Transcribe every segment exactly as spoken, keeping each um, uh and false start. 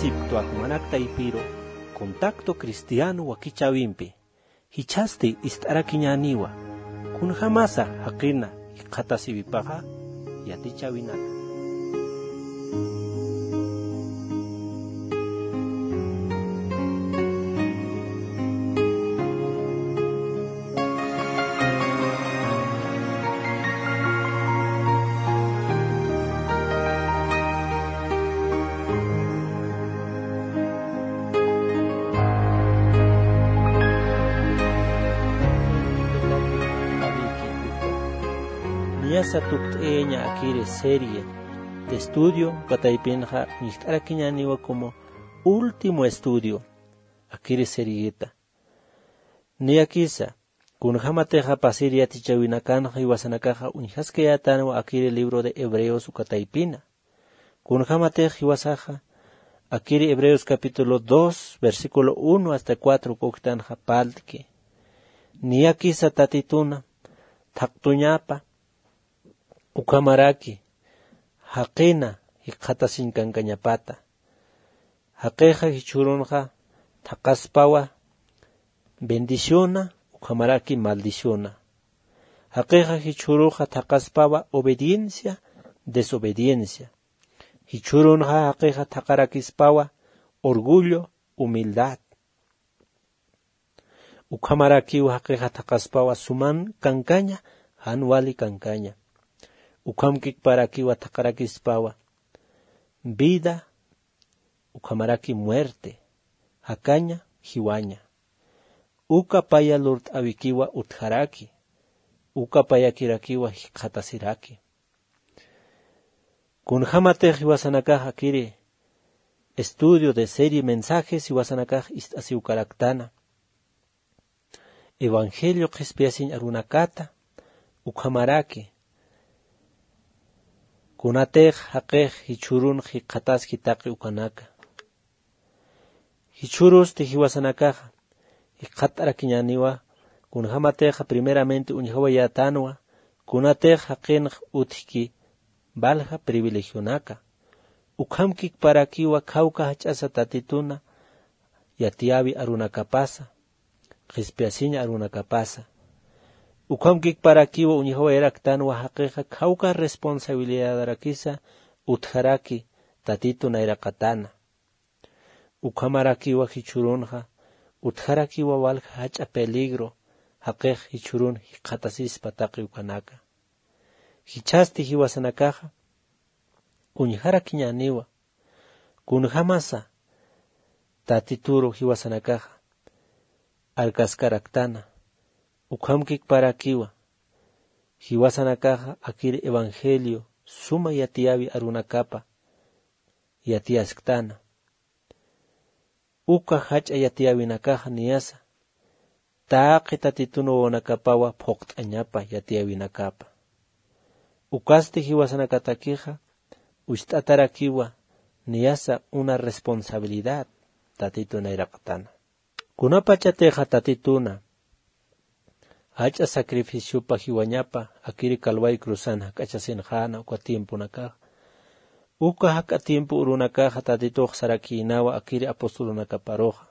Siptwa jumanak taypiru, contacto cristiano wakichäwimpi. Jichhasti ist'arakiñäniwa, kunjamasa jaqina jikxatasiwipaxa yatichäwinaka. Niyasa tukt'ayaña akiri serie de estudio, uka taypinxa uñjt'arakiñäniwa como último estudio akiri serieta. Niyakisa, kunjamatixa pasir yatichäwinakanxa jiwasanakaxa uñjaskayätanwa akiri libro de Hebreos uka taypina. Kunjamatix jiwasaxa, akiri Hebreos capítulo dos, versículo uno hasta cuatro uka uktanxa parlt'ki. Niyakisa Tatituna thaqtuñapa, ukhamaraki jaqina jikxatasiñ kankañapata. Jaqixa jichhürunxa thaqaspawa bendiciona, ukhamaraki maldiciona. Jaqixa jichhüruxa thaqaspawa obediencia, desobediencia. Jichhürunxa jaqixa thaqarakispawa orgullo, humildad. Ukhamarakiw jaqixa thaqaspawa suman kankaña, jan wali kankaña. Ukhamkikparakiwa thaqarakispawa vida, ukhamaraki muerte, jakaña, jiwaña. Uka paya lurt'äwikiwa utjaraki, uka payakirakiwa jikxatasiraki. Kunjamatix jiwasanakax akiri estudio de serie mensajes jiwasanakax ist'asiw karaktana. Evangelio qhispiyasiñ arunakata, ukhamaraki kunatix jaqix jichhürun jikxataski taqi ukanaka. Jichhürusti jiwasanakaxa jikxatarakiñäniwa, kunjamatixa primeramente uñjawayätanwa kunatix jaqinx utjki valja privilegionaka. Ukhamkikparakiwa khawka jach'asa Tatituna yatiyäwi arunakapasa, qhispiyasiñ arunakapasa. Ukhamkikparakiwa uñjawayaraktanwa jaqixa khawka responsabilidadarakisa utjaraki Tatitu nayraqatana. Ukhamarakiwa jichhürunxa utjarakiwa walja jach'a peligro, jaqix jichhürun jikxatasispa taqi ukanaka. Jichhasti jiwasanakaxa uñjarakiñäniwa, kunjamasa Tatituru jiwasanakaxa arkaskaraktana, ukhamkikparakiwa jiwasanakaxa akir evangelio suma yatiyäwi arunakapa yatiyasktana. Uka jach'a yatiyäwinakaxa niyasa taqi Tatitun wawanakapawa phuqt'añapa yatiyäwinakapa. Ukasti jiwasanakatakixa ucht'atarakiwa niyasa una responsabilidad Tatitun nayraqatana. Kunapachatixa Tatituna jach'a sacrificiopa jiwañapa akiri Calvario cruzan jak'achasinxäna uka tiemponakaxa. Uka jak'a tiempo urunakaxa Tatitux sarakïnawa akiri apostolunakaparuxa.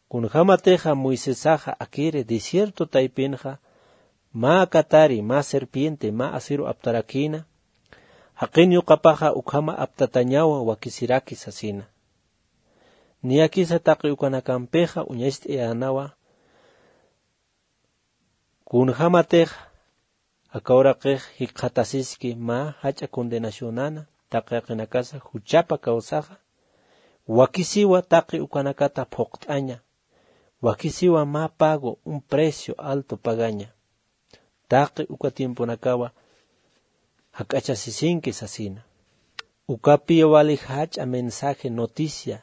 Kunjamatixa Moisesaxa akiri desierto taypinxa mä katari, mä serpiente, mä asiru aptarakïna, jaqin yuqapaxa ukhama aptatañawa wakisiraki sasina. Niyakisa taqi ukanakampixa uñacht'ayänawa, kunjamatix aka uraqix jikxatasiski mä jach'a condenacionana, taqi jaqinakasa juchapa kawsaxa, wakisiwa taqi ukanakata phuqt'aña, wakisiwa mä pago, un precio alto pagaña. Taqi uka tiemponakawa jak'achasisinki sasina. Ukapiya wali jach'a mensaje, noticia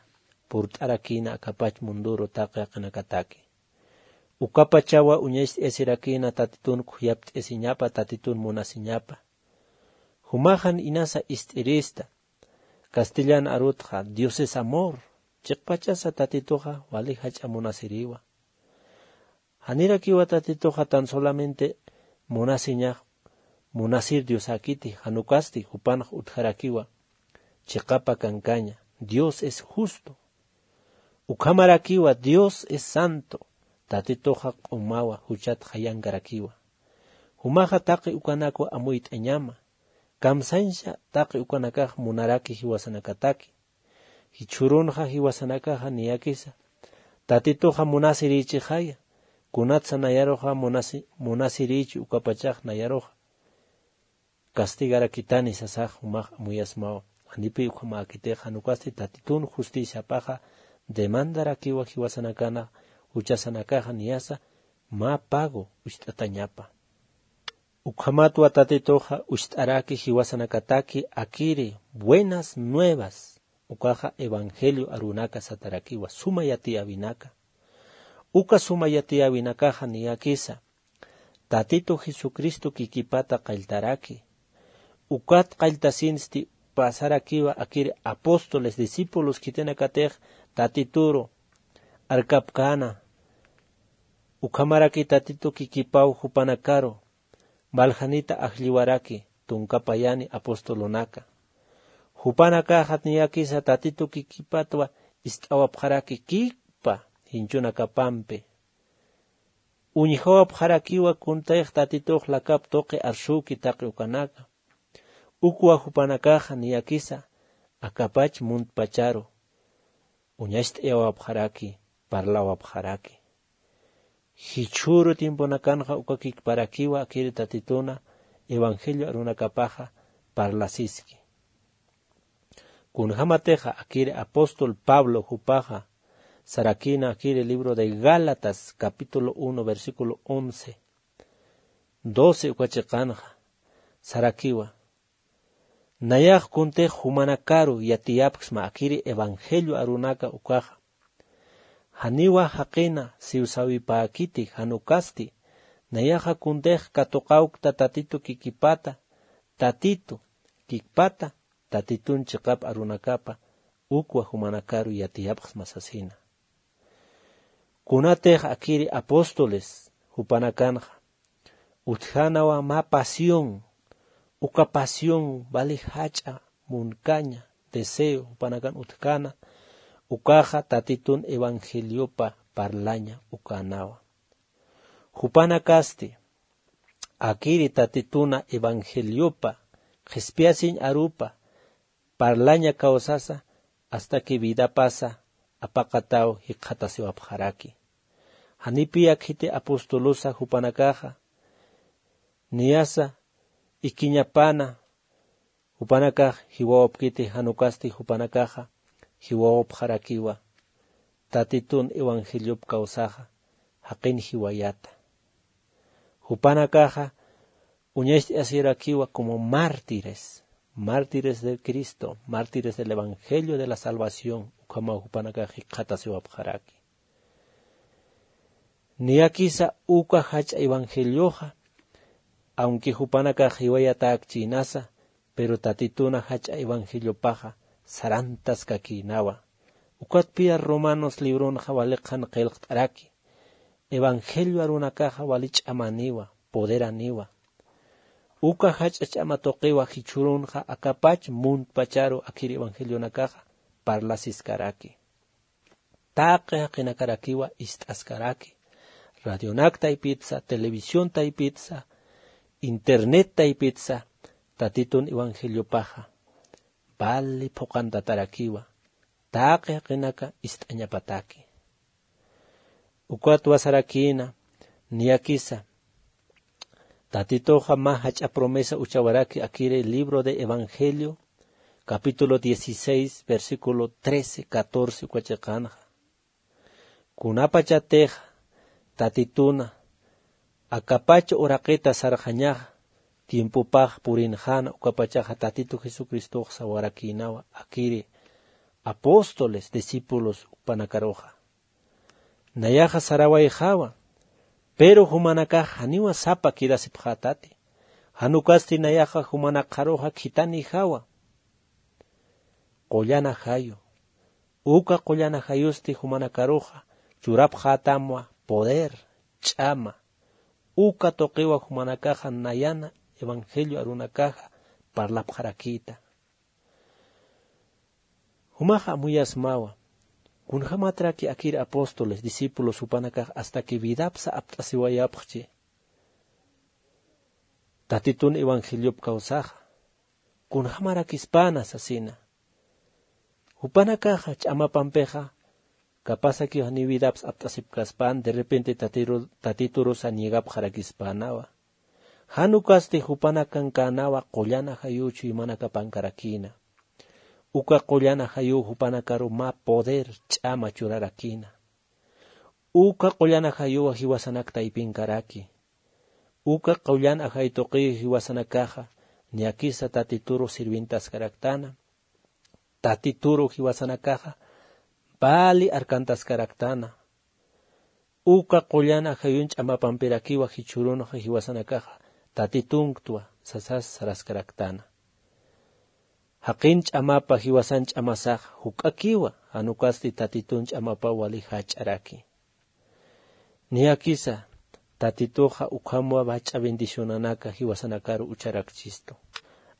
purt'arakïna akapach munduru taqi jaqinakataki. Ukapachawa uñacht'ayasirakïna Tatitun khuyapt'ayasiñapa, Tatitun munasiñapa. Jumaxa inasa ist'irista, castellan arutxa Dios es amor, chiqpachasa Tatituxa wali jach'a munasiriwa. Janirakiwa Tatituxa tan solamente munasiñax, munasir Diosäkiti, jan ukasti jupanx utjarakiwa chiqapa kankaña, Dios es justo. Ukhamarakiwa Dios es santo. Tatituxa q'umawa juchat jayankarakiwa. Jumaxa taqi ukanakwa amuyt'añama. Kamsañsa taqi ukanakax munaraki jiwasanakataki. Jichhürunxa jiwasanakaxa niyakisa tatituxa munasirïchixaya. Kunatsa nayaruxa munasi- munasirïchi ukapachax nayaruxa castigarakitani sasax jumax amuyasmawa. Janipi ukhamäkitix jan ukasti tatitun justiciapaxa demandarakiwa jiwasanakana juchasanakaxa niyasa mä pago ucht'atañapa. Ukhamatwa tatituxa ucht'araki jiwasanakataki akiri buenas nuevas ukaxa evangelio arunaka satarakiwa suma yatiyäwinaka. Uka suma yatiyäwinakaxa niyakisa tatitu jesucristo kikipata qalltaraki. Ukat qalltasinsti pasarakiwa akiri apóstoles discípulos khitinakatix tatituru arkapkäna. Ukhamaraki tatitu kikipaw jupanakaru valjanita ajlliwaraki tunka payani apostolunaka. Jupanakaxat niyakisa tatitu kikipatwa ist'awapxaraki kikpa jinchunakapampi. Uñjawapxarakiwa kuntix tatitux lakap tuqi arsüki taqi ukanaka. Ukwa jupanakaxa niyakisa akapach muntpacharu uñacht'ayawapxaraki parlawapxaraki. Jichhüru tiemponakanxa uka kikparakiwa akiri tatituna evangelio arunakapaxa parlasiski. Kunjämatixa akiri apóstol pablo jupaxa sarakïna akiri libro de gálatas capítulo uno versículo once, doce uka chiqanxa sarakiwa. Nayax kuntix jumanakaru yatiyapksma akiri evangelio arunaka ukaxa. Janiwa jaqina siwsawipäkiti jan ukasti nayaxa kuntix katuqawkta tatitu kikipata tatitu kikpata tatitun chiqap arunakapa ukwa jumanakaru yatiyapxsma sasina. Kunatix akiri apóstoles jupanakanxa utjänawa mä pasión. Uka pasión wali jach'a munkaña deseo jupanakan utjkäna ukaxa tatitun evangeliopa parlaña ukänawa. Jupanakasti akiri tatituna evangeliopa qhispiyasiñ arupa parlaña kawsasa hasta que vidapasa apaqataw jikxatasiwapxaraki. Janipiya khiti apostolusa jupanakaxa niyasa ikiñapana jupanakax jiwawapkiti jan ukasti jupanakaxa jiwawapxarakiwa tatitun evangeliop kawsaxa jaqin jiwayata. Jupanakaxa uñacht'asirakiwa como mártires mártires del cristo mártires del evangelio de la salvación ukhamaw jupanakax jikxatasiwapxaraki. Niyakisa uka jach'a evangelioxa aunque jupanakax jiwayatäkchïnasa pero tatituna jach'a evangeliopaxa sarantaskakïnawa. Ukatpiya romanos libronxa wali qhan qillqt'araki evangelio arunakaxa wali ch'amaniwa poderaniwa. Uka jach'a ch'ama tuqiwa jichhürunxa akapach muntpacharu akhir evangelionakaxa parlasiskaraki. Taqi jaqinakarakiwa ist'askaraki radionak taypitsa televisión taypitsa internet taypitsa tatitun evangeliopaxa vali phuqantatarakiwa taqi jaqinaka ist'añapataki. Ukatwa sarakïna niyakisa tatituxa mä jach'a promesa uchawaraki akiri libro de evangelio capítulo dieciséis versículo trece catorce uka chiqanxa. Kunapachatix tatituna akapach uraqita sarxañaxa tiempopax purinxäna ukapachaxa tatitu jesucristox sawarakïnawa akiri apóstoles discípulos jupanakaruxa. Nayaxa sarawayxawa pero jumanakax janiwa sapa quedasipxätati. Jan ukasti nayaxa jumanakxaruxa khithanijawa. Qullana jayu uka qullana jayusti jumanakaruxa churapxätamwa poder ch'ama uka tuqiwa jumanakaxa nayana evangelio arunakaxa parlapxarakïta. Jumax amuyasmawa. Kunjamatraki akir apóstoles, discípulos jupanakax hasta que vidapsa apt'asiwayapxchi. Tatitun evangeliop kawsaxa. Kunjamarakispäna sasina. Jupanakaxa ch'amapampixa, capaz akiw janiw vidaps apt'asipkaspän, de repente tatiru-, tatiturusa niegapxarakispänawa. Jan ukasti jupanakankänawa qullan ajayuw chuymanakapankarakïna. Uka qullan ajayuw jupanakaru mä poder ch'ama churarakïna. Uka qullan ajayuwa jiwasanak taypinkaraki. Uka qullan ajay tuqiyu jiwasanakaxa, niyakisa tatituru sirvintaskaraktana. Tatituru jiwasanakaxa, vali arkantaskaraktana. Uka qullan ajayun ch'amapampirakiwa jichhürunxa jiwasanakaxa, tatitunktuwa sasas saraskaraktana. Jaqin ch'amapa jiwasan ch'amasax juk'akiwa, jan ukasti tatitun ch'amapaw wali jach'araki. Niyakisa, tatituxa ukhamwa vach'a bendicionanaka jiwasanakaru ucharakchistu.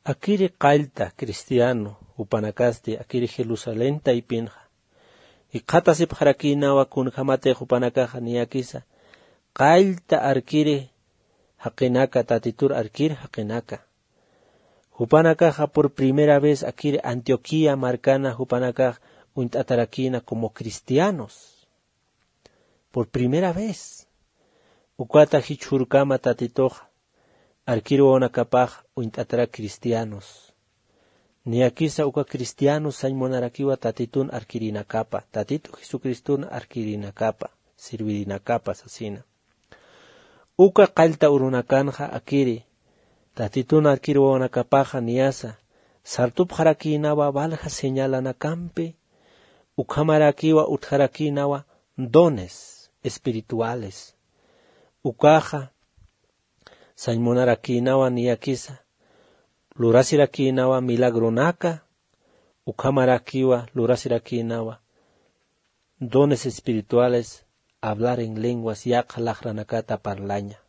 Akiri qallta cristiano, jupanakasti, akiri Jerusalén taypinxa. Jikxatasipxarakïnawa kunjämatix jupanakaxa niyakisa, qallta arkiri jaqinaka, tatitur arkir jaqinaka. Jupanakaxa por primera vez akiri Antioquía markana jupanakax uñt'atarakïna como cristianos. Por primera vez. Ukata jichhürkama tatituxa, arkir wawanakapax uñt'atarak cristianos. Niyakisa uka cristianos sañ munarakiwa tatitun arkirinakapa, tatitu Jesucristun arkirinakapa, sirvirinakapa sasina. Uka qallta urunakanxa akiri, tatitun arkir wawanakapaxa niyasa, sartupxarakïnawa valja señalanakampi, ukhamarakiwa utjarakïnawa dones espirituales. Ukaxa, sañ munarakïnawa niyakisa, lurasirakïnawa milagronaka, ukhamarakiwa lurasirakïnawa dones espirituales, hablar en lenguas, yaqha laqranakata parlaña.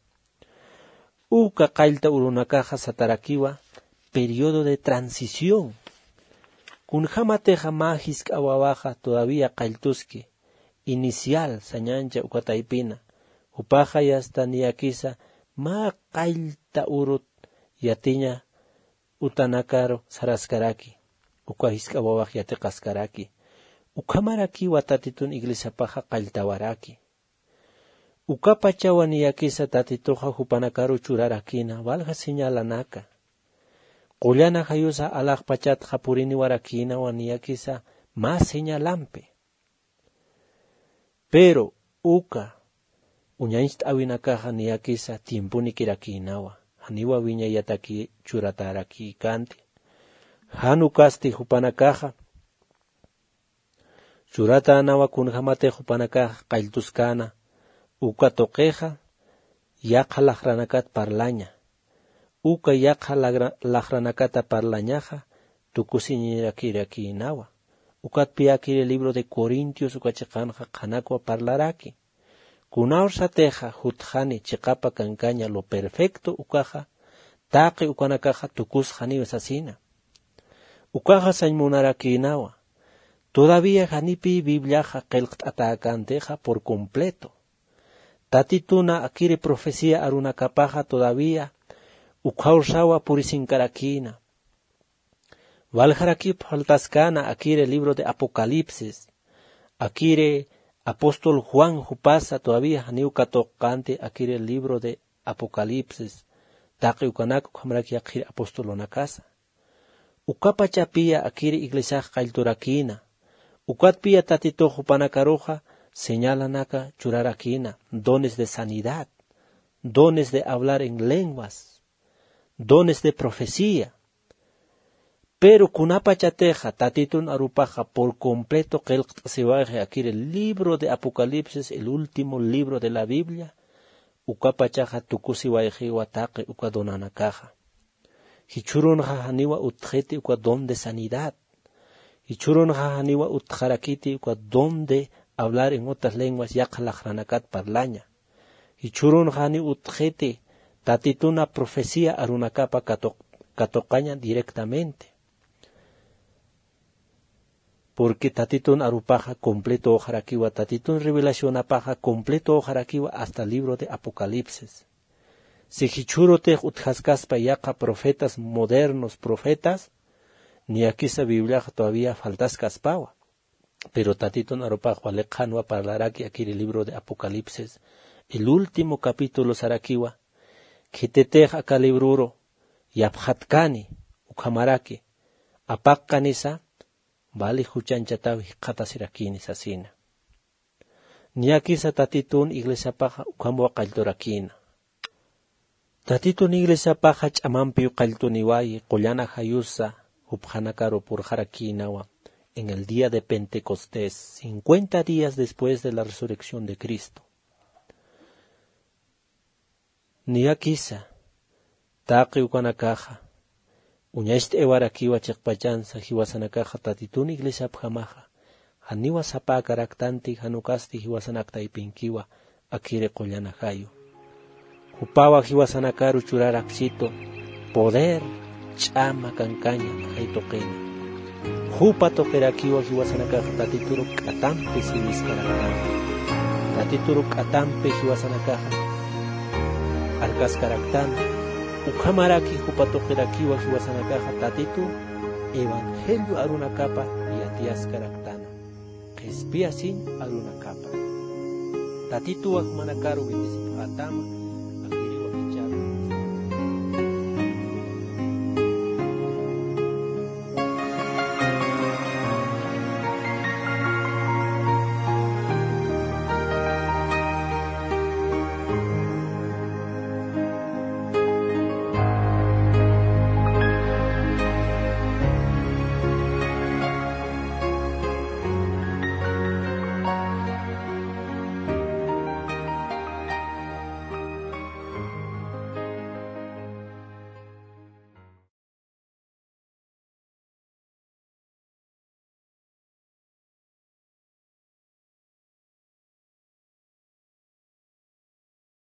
Uka qallta urunakaxa satarakiwa periodo de transición. Kunjämatixa mä jisk'a wawaxa todavía qalltuski, inicial, sañancha uka taypina. Jupaxa yasta niyakisa mä qallta urut yatiña utanakaru saraskaraki, uka jisk'a wawax yatiqaskaraki. Ukhamarakiwa tatitun iglesiapaxa qalltawaraki. Ukapachawa niyakisa tatituxa jupanakaru churarakïna, valja señalanaka. Qullan ajayusa alaxpachatxa puriniwarakïnawa niyakisa mä señalampi. Pero uka uñañcht'äwinakaxa niyakisa tiempunikirakïnawa, janiwa wiñayataki churatärakïkänti. Jan ukasti jupanakaxa churatänawa kunjämatix jupanakax qalltuskäna, uka tuqixa yaqha laqranakat parlaña. Uka yaqha lagra-, laqranakata parlañaxa tukusiñirakirakïnawa. Ukatpï akiri libro de Corintios uka chiqanxa qhanakwa parlaraki. Kunawsatixa jutxani chiqapa kankaña lo perfecto ukaxa, taqi ukanakaxa tukusxaniw sasina. Ukaxa sañ munarakïnawa. Todavía janipï Bibliaxa qillqt'atäkäntixa por completo. Tatituna akiri profecía arunakapaxa todavía ukhawsawa purisinkarakïna. Waljarakip faltaskäna akiri libro de Apocalipsis. Akiri apóstol Juan jupasa todavía janiw katuqkänti akiri libro de Apocalipsis. Taqi ukanak ukhamarak yaqhir apostolunakasa. Ukapachapïya akiri iglesiax qallturakïna. Ukatpïya tatitux jupanakaruxa señalanaka churarakïna, dones de sanidad, dones de hablar en lenguas, dones de profecía. Pero kunapachatixa tatitun arupaxa por completo qillqt'asiwayxi akiri libro de Apocalipsis, el último libro de la Biblia, ukapachaxa tukusiwayxiwa taqi uka donanakaxa. Jichhürunxa janiwa utjxiti uka don de sanidad. Jichhürunxa janiwa utjarakiti uka don de hablar en otras lenguas yaqha laqranakat parlaña. Jichhürunxa janiw utjxiti tatituna profecía arunakapa katuq-, katuqaña directamente. Porque Tatitun arupaxa completo uxarakiwa, Tatitun revelacionapaxa completo uxarakiwa hasta libro de Apocalipsis. Si jichhürutix utjaskaspa yaqha profetas modernos, profetas, niyakisa Bibliaxa todavía faltaskaspawa. Pero Tatitun arupax wali qhanwa parlaraki akiri libro de Apocalipsis, el último capítulo sarakiwa, khititix aka libruru yapxatkani, ukhamaraki, apaqkanisa, vali juchanchataw jikxatasirakini sasina. Niyakisa Tatitun iglesiapaxa ukhamaw qallturakina. Tatitun iglesiapaxa ch'amampiw qalltuniwayi, qullana jayusa jupxanakaru purxarakinawa, en el día de Pentecostés, cincuenta días después de la resurrección de Cristo. Niyakisa, taqi ukanakaxa, uñacht'aywarakiwa chiqpachansa, jiwasanakaxa Tatitun iglesiapjamaxa, janiwa sapäkaraktanti, jan ukasti jiwasanak taypinkiwa, akiri qullana jayu. Jupawa jiwasanakaru churarakchitu, poder, ch'ama kankaña, jay tuqina. Jupa tuqirakiwa jiwasanakaxa Tatituru k'atampi siwiskaraktana. Tatituru k'atampi jiwasanakaxa arkaskaraktana. Ukhamaraki jupa tuqirakiwa jiwasanakaxa Tatitu evangelio arunakapa yatiyaskaraktana. Qhispiyasiñ arunakapa. Tatituwa jumanakaru bendecipxätama.